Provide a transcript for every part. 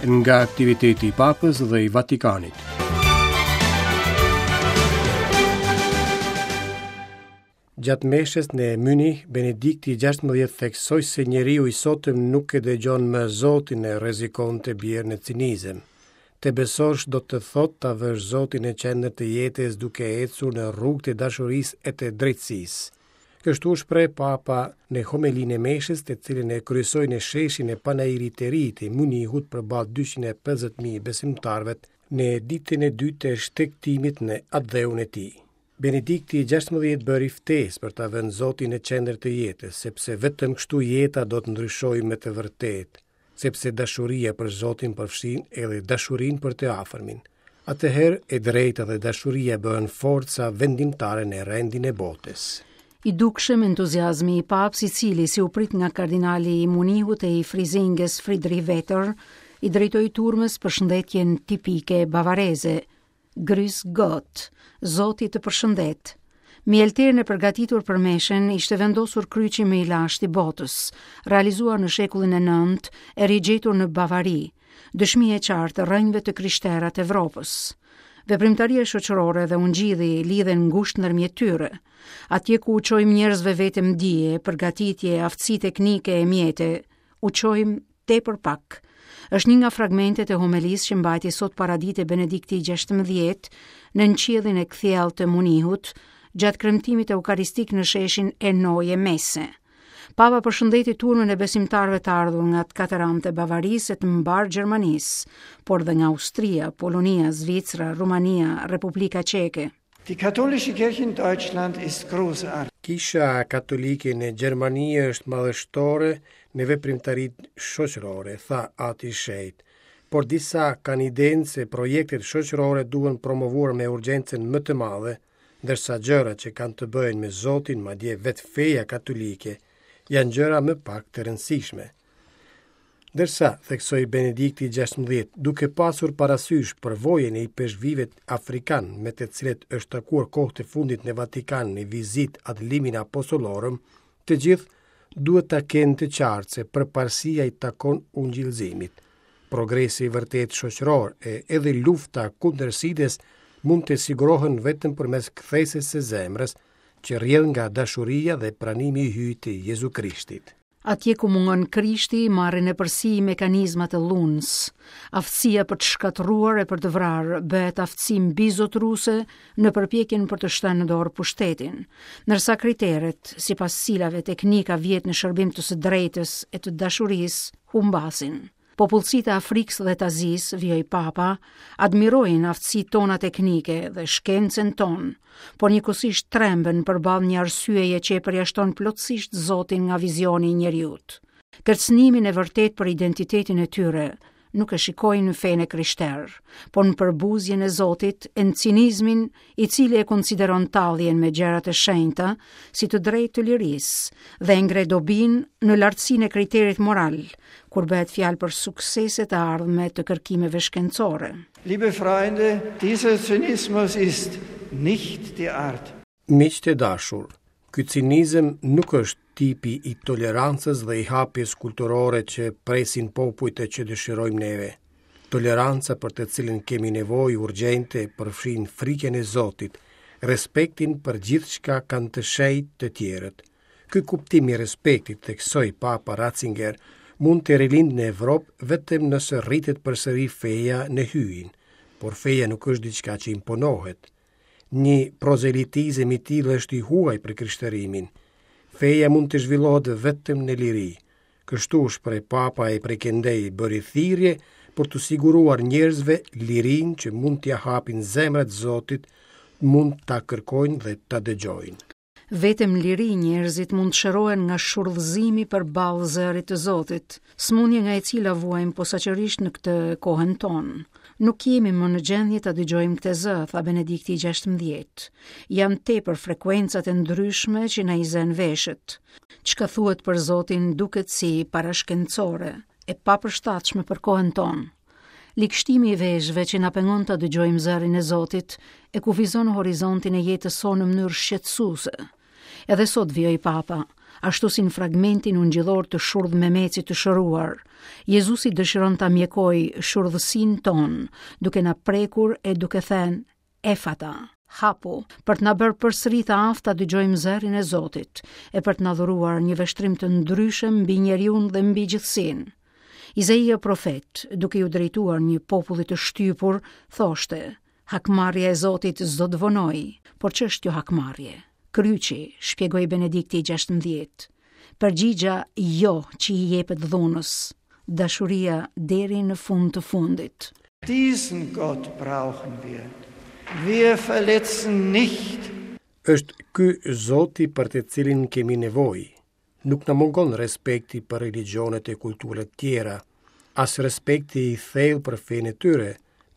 Nga aktiviteti i Papës dhe i Vatikanit. Gjatë meshës në Mynih, Benedikti XVI theksoi se njeriu i sotëm nuk e dëgjon më Zotin e rrezikon të bjerë në cinizëm. Të besosh do të thotë ta vësh Zotin në qendër të jetës duke ecur në rrugët e dashurisë e të drejtësisë. Kështu u shpreh Papa në homelinë e meshës, të cilën e kryesoi në sheshin e Panairit të Ri të Mynihut përballë 250.000 besimtarëve në ditën e dytë të shtegtimit në atdheun e tij. Benedikti XVI bëri ftesë për ta vënë Zotin në qendër të jetës, sepse vetëm kështu jeta do të ndryshojë me të vërtetë, sepse dashuria për Zotin përfshin edhe dashurinë për të afërmin. Atëherë e drejta dhe dashuria bëhen forca vendimtare në rendin e botës. I dukshëm entuziazmi i Papës, i cili si u prit nga kardinali i Munihut e i Frizinges Friedrich Wetter, i drejtoi turmës përshëndetjen tipike bavareze, Grüß Gott, Zoti të përshëndet. Mbi oltarin e përgatitur për meshën ishte vendosur kryqi më i lashtë i botës, realizuar në shekullin e 9 e rigjetur në Bavari, dëshmi e qartë e rrënjëve të krishtera të Evropës. Veprimtaria shoqërore dhe ungjilli lidhen ngushtë ndërmjet tyre. Atje ku u çojmë njerëzve vetëm dije, përgatitje, aftësi teknike e mjete, u çojmë tepër pak. Është një nga fragmentet e homelisë që mbajti sot paradite Benedikti XVI nën qiellin e kthjellët të Munihut, gjatë kremtimit eukaristik në sheshin e Neue Messe. Papa përshëndeti turmën e besimtarëve të ardhur nga të katër anët e Bavarisë e të mbarë Gjermanisë, por dhe nga Austria, Polonia, Zvicra, Rumania, Republika Çeke. Die katholische Kirche in Deutschland ist großartig. Kisha Katolike në Gjermani është madhështore në veprimtaritë shoqërore, tha Ati i Shenjtë. Por disa kanë idenë se projektet shoqërore duhen promovuar me urgjencën më të madhe, ndërsa gjërat që kanë të bëjnë me Zotin, madje vetë feja katolike, janë gjëra më pak të rëndësishme. Ndërsa, theksoi Benedikti XVI, duke pasur parasysh përvojën e ipeshkvijve afrikanë me të cilët është takuar kohët e fundit në Vatikan në vizitë ad limina apostolorum, të gjithë duhet ta kenë të qartë se përparësia i takon ungjillëzimit. Progresi i vërtetë shoqëror e edhe lufta kundër sidës mund të sigurohen vetëm përmes kthesës së zemrës, që rrjedh nga dashuria dhe pranimi i Hyjit të Jezu Krishtit. Atje ku mungon Krishti, marrin epërsi mekanizmat e dhunës. Aftësia për të shkatërruar e për të vrarë bëhet aftësi mbizotëruese në përpjekjen për të shtënë në dorë pushtetin. Ndërsa kriteret, sipas cilave teknika vihet në shërbim të së drejtës e të dashurisë, humbasin. Popullsitë e Afrikës dhe të Azisë, vijoi Papa, admirojnë aftësitë tona teknike dhe shkencën tonë, por njëkohësisht tremben përballë një arsyeje që e përjashton plotësisht Zotin nga vizioni i njeriut. Kërcënimin e vërtetë për identitetin e tyre nuk e shikojnë në fenë e krishterë, por në përbuzjen e Zotit e në cinizmin i cili e konsideron talljen me gjërat e shenjta si të drejtë të lirisë dhe e ngre dobinë në lartësinë e kriterit moral, kur bëhet fjalë për sukseset e ardhme të kërkimeve shkencore. Liebe Freunde, dieser Zynismus ist nicht die Art. Miq të dashur, ky cinizëm nuk është tipi i tolerancës dhe i hapjes kulturore që presin popujt e që dëshirojmë neve. Toleranca për të cilën kemi nevojë urgjente përfshin frikën e Zotit, respektin për gjithçka kanë të shenjtë të tjerët. Ky kuptim i respektit, theksoi Papa Ratzinger, mund të rilindë në Evropë vetëm nëse rritet përsëri feja në Hyjin, por feja nuk është diçka që imponohet. Një prozelitizëm i tillë është i huaj për krishtërimin. Feja mund të zhvillohet vetëm në liri. Kështu u shpreh Papa e prej këndej bëri thirrje për t'u siguruar njerëzve lirinë që mund t'ia hapin zemrat Zotit, mund ta kërkojnë dhe ta dëgjojnë. Vetëm në liri njerëzit mund të shërohen nga shurdhëzimi përballë zërit të Zotit, sëmundje nga e cila vuajmë posaçërisht në këtë kohën tonë. Nuk jemi më në gjendje ta dëgjojmë këtë zë, tha Benedikti i 16. Janë tepër frekuencat e ndryshme që na i zënë veshët. Çka thuhet për Zotin duket si parashkencore, e papërshtatshme për kohën tonë. Ligështimi i veshëve që na pengon ta dëgjojmë zërin e Zotit e kufizon horizontin e jetës sonë në mënyrë shqetësuese. Edhe sot vijoi Papa. Ashtu si në fragmentin ungjillor të shurdhmemecit të shëruar, Jezusi dëshiron ta mjekojë shurdhësinë tonë, duke na prekur e duke thënë Efata, hapu, për të na bërë përsëri të aftë ta dëgjojmë zërin e Zotit e për të na dhuruar një vështrim të ndryshëm mbi njeriun dhe mbi gjithësinë. Izaia profet, duke iu drejtuar një populli të shtypur, thoshte: Hakmarrja e Zotit s'do të vonojë, por ç'është kjo hakmarrje? Kryqi, shpjegoi Benedikti i 16. Përgjigja jo që i jepet dhunës, dashuria deri në fund të fundit. Diesen Gott brauchen wir. Wir verletzen nicht. Është ky Zoti për të cilin kemi nevojë. Nuk na mungon respekti për religjionet e kulturat tjera, as respekti i thellë për fenë e tyre,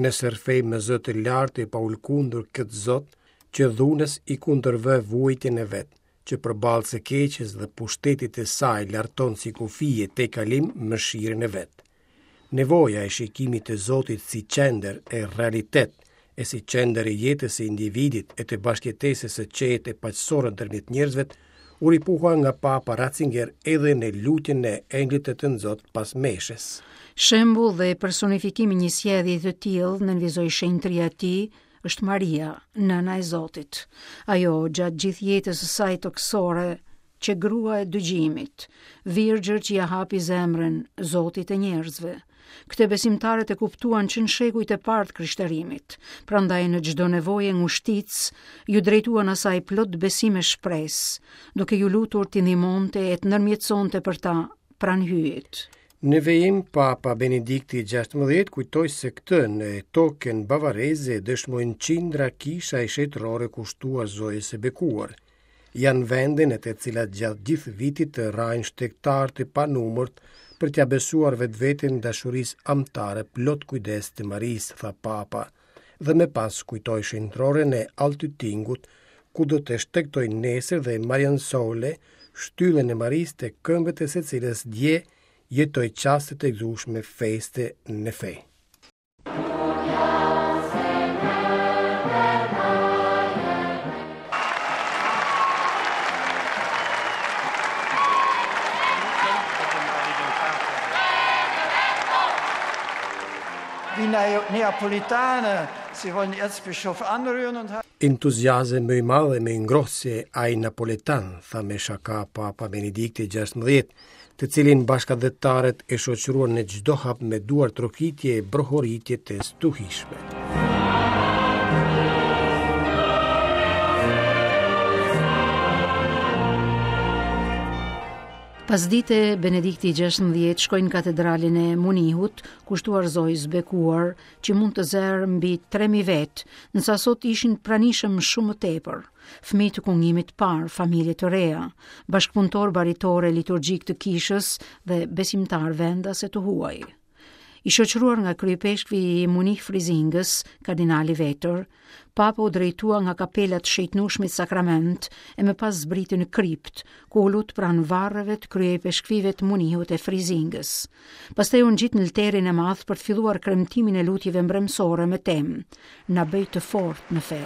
nëse rrëfejmë me zë të lartë e pa u lëkundur këtë Zot që dhunës i kundërvë vuajtjen e vet, që përballë së keqes dhe pushtetit të saj larton si kufi e tejkalim mëshirën e vet. Nevoja e shikimit të Zotit si qendër e realitet e si qendër e jetës së individit e të bashkëjetesës së qetë e paqësore ndërmjet njerëzve u ripohua nga Papa Ratzinger edhe në lutjen e Engjëllit të Tënzot pas meshës. Shembull dhe personifikim i një sjellje të tillë, nënvizoi shenjtëria e tij, është Maria, nëna e Zotit. Ajo, gjatë gjithë jetës së saj tokësore, qe grua e dëgjimit, virgjër që ia hapi zemrën Zotit e njerëzve. Këtë besimtarët e kuptuan që në shekujt e parë të krishterimit, prandaj në çdo nevojë e ngushticë, iu drejtuan asaj plot besim e shpresë, duke iu lutur t'i ndihmonte e të ndërmjetësonte për ta pranë Hyjit. Në vijim, Papa Benedikti XVI kujtoi se këtë në tokën bavareze dëshmojnë qindra kisha e shenjtërore kushtuar Zojës së Bekuar. Janë vende në të cilat gjatë gjithë vitit të rrahin shtegtarë të panumërt për t'ia besuar vetveten dashurisë amtare plot kujdes të Marisë, tha Papa, dhe më pas kujtoi shenjtëroren e Altöttingut, ku do të shtegtojë nesër dhe Mariensäule, shtyllën e Marisë te këmbët e së cilës dje jetoi çaste të gëzueshme feste në fe. Die Neapolitaner, sie wollen Erzbischof anrühren und Entuziazëm më i madh e më i ngrohtë se ai napoletan, tha me shaka Papa Benedikti XVI, të cilin bashkatdhetarët e shoqëruan në çdo hap me duartrokitje e brohoritje të stuhishme. Pasdite, Benedikti XVI shkoi në katedralen e Munihut, kushtuar Zojës së Bekuar, që mund të zërë mbi 3000 vetë, ndërsa sot ishin të pranishëm shumë më tepër. Fëmijë të kungimit të parë, familje të reja, bashkëpunëtorë baritorë e liturgjikë të kishës dhe besimtarë vendas e të huaj. I shoqëruar nga kryeipeshkvi i Munih Frizingës, kardinali Veter, Papa u drejtua nga kapela të Shenjtnueshmit Sakrament e më pas zbriti në kriptë, ku u lut pranë varreve të kryeipeshkvijve të Munihut e Frizingës. Pastaj u ngjit në lterin e madh për të filluar kremtimin e lutjeve mbrëmësore me temë Na bëj të fortë në fe.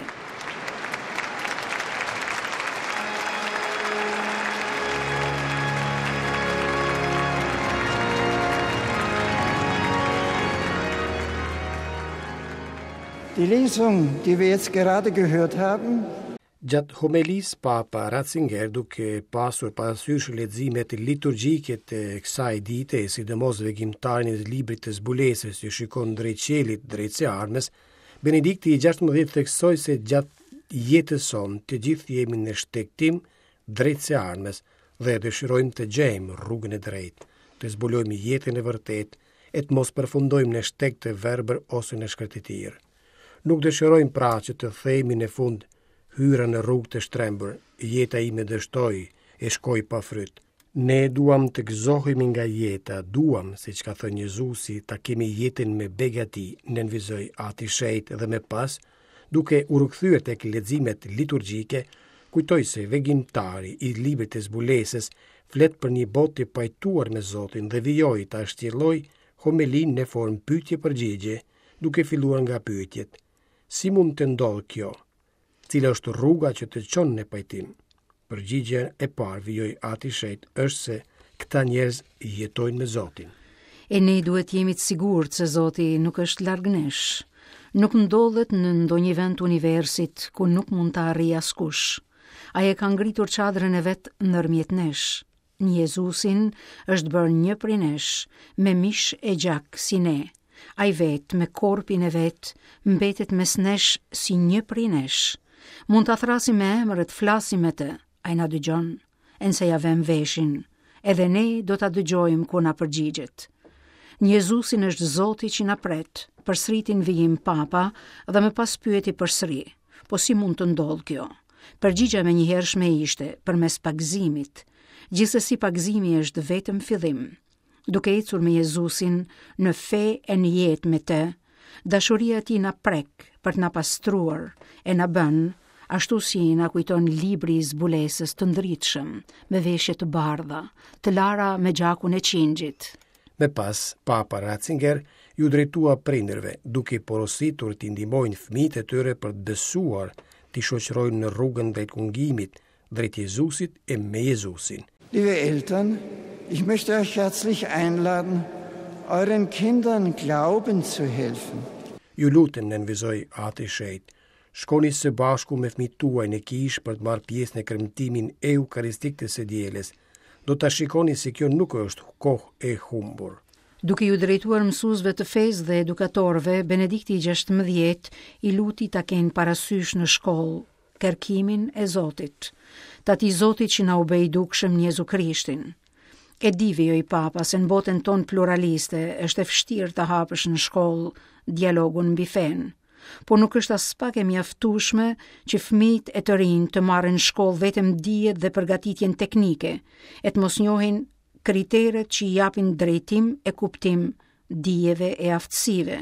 Die Lesung, die wir jetzt gerade gehört haben, Gjatë homelisë, Papa Ratzinger, duke pasur parasysh leximet liturgjike të kësaj dite, e sidomos vegimtarin e librit të zbulesës që shikon drejt qiellit, drejt së ardhmes, Benedikti i 16 theksoi se gjatë jetës sonë të gjithë jemi në shtegtim drejt së ardhmes dhe dëshirojmë të gjejmë rrugën e drejtë, të zbulojmë jetën e vërtetë e të mos përfundojmë në shteg të verbër ose në shkretëtirë. Nuk dëshirojmë pra që të themi në fund, hyra në rrugë të shtrembër, jeta ime dështoi e shkoi pa fryt. Ne duam të gëzohemi nga jeta, duam, siç ka thënë Jezusi, ta kemi jetën me begati, nënvizoi Ati i Shenjtë dhe më pas, duke u rikthyer tek leximet liturgjike, kujtoi se vegimtari i librit të zbulesës flet për një botë të pajtuar me Zotin dhe vijoi ta shtjellojë homelinë në formë pyetje-përgjigje, duke filluar nga pyetjet: Si mund të ndodhë kjo? Cila është rruga që të çon në pajtim? Përgjigja e parë, vijoi Ati i Shenjtë, është se këta njerëz jetojnë me Zotin. E ne duhet të jemi të sigurt se Zoti nuk është larg nesh. Nuk ndodhet në ndonjë vend të universit ku nuk mund ta arrijë askush. Ai e ka ngritur çadrën e vet ndërmjet nesh. Në Jezusin është bërë një prej nesh, me mish e gjak si ne. Ai vetë, me korpin e vet, mbetet mes nesh si një prej nesh. Mund ta thërrasim me emër e të flasim me të, ai na dëgjon, e nëse ia vëmë veshin, edhe ne do ta dëgjojmë kur na përgjigjet. Në Jezusin është Zoti që na pret, përsëriti në vijim Papa dhe më pas pyeti përsëri, po si mund të ndodhë kjo? Përgjigja e menjëhershme ishte, përmes pagëzimit. Gjithsesi pagëzimi është vetëm fillim. Duke ecur me Jezusin në fe e në jetë me të, dashuria e tij na prek për të na pastruar e na bën, ashtu si na kujton libri i zbulesës të ndritshëm, me veshje të bardha, të lara me gjakun e qingjit. Më pas, Papa Ratzinger iu drejtua prindërve, duke i porositur t'i ndihmojnë fëmijët e tyre për të besuar, t'i shoqërojnë në rrugën drejt kungimit, drejt Jezusit e me Jezusin. Liebe Eltern, ich möchte euch herzlich einladen, euren Kindern glauben zu helfen. Ju lutem, nënvizoi Ati i Shenjtë, shkoni së bashku me fëmijët tuaj në kishë për të marrë pjesë në kremtimin eukaristik të së dielës. Do ta shikoni se kjo nuk është kohë e humbur. Duke iu drejtuar mësuesve të fesë dhe edukatorëve, Benedikti i 16 i luti ta kenë parasysh në shkollë kërkimin e Zotit, të atij Zotit që na u bë i dukshëm në Jezu Krishtin. E di vijoi Papa se në botën tonë pluraliste është e vështirë të hapësh në shkollë dialogun mbi fenë. Por nuk është aspak e mjaftueshme që fëmijët e të rinjtë të marrin në shkollë vetëm dijet dhe përgatitjen teknike, e të mos njohin kriteret që i japin drejtim e kuptim dijeve e aftësive.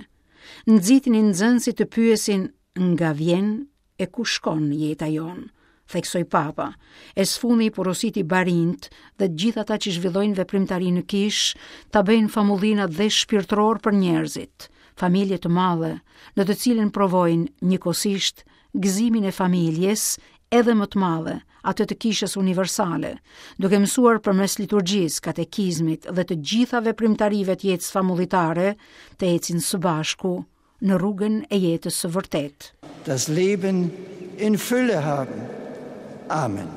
Nxitini nxënësit të pyesin nga vjen e ku shkon jeta jonë, theksoi Papa, e së fundi i porositi barinjtë dhe të gjithë ata që zhvillojnë veprimtari në kishë ta bëjnë famullinë atdhe shpirtëror për njerëzit, familje të madhe, në të cilën provojnë njëkohësisht gëzimin e familjes edhe më të madhe, atë të kishës universale, duke mësuar përmes liturgjisë, katekizmit dhe të gjitha veprimtarive të jetës famullitare të ecin së bashku në rrugën e jetës së vërtetë. Das Leben in Fülle haben. Amen.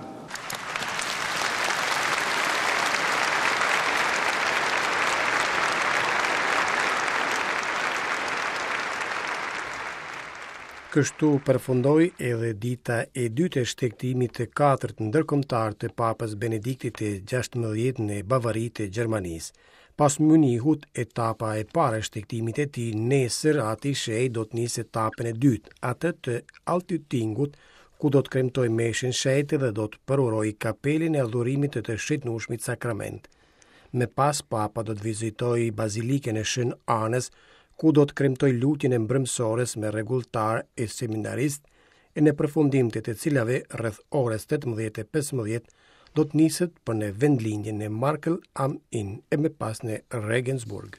Kështu përfundoi edhe dita e dytë e shtegtimit të katërt ndërkombëtar të Papës Benediktit të 16 në Bavari të Gjermanisë. Pas Mynihut, etapa e parë e shtegtimit të tij, nesër Ati i Shenjtë do të nisë etapën e dytë, atë të Altöttingut, ku do të kremtojë meshën e shenjtë dhe do të përurojë kapelën e adhurimit të të Shenjtnueshmit Sakrament. Më pas Papa do të vizitojë Bazilikën e Shën Anës, ku do të kremtojë lutjen e mbrëmësores me rregulltarë e seminaristë, e në përfundim të të cilave rreth orës 18:15 do të niset për në vendlindjen në Marktl am Inn e më pas në Regensburg.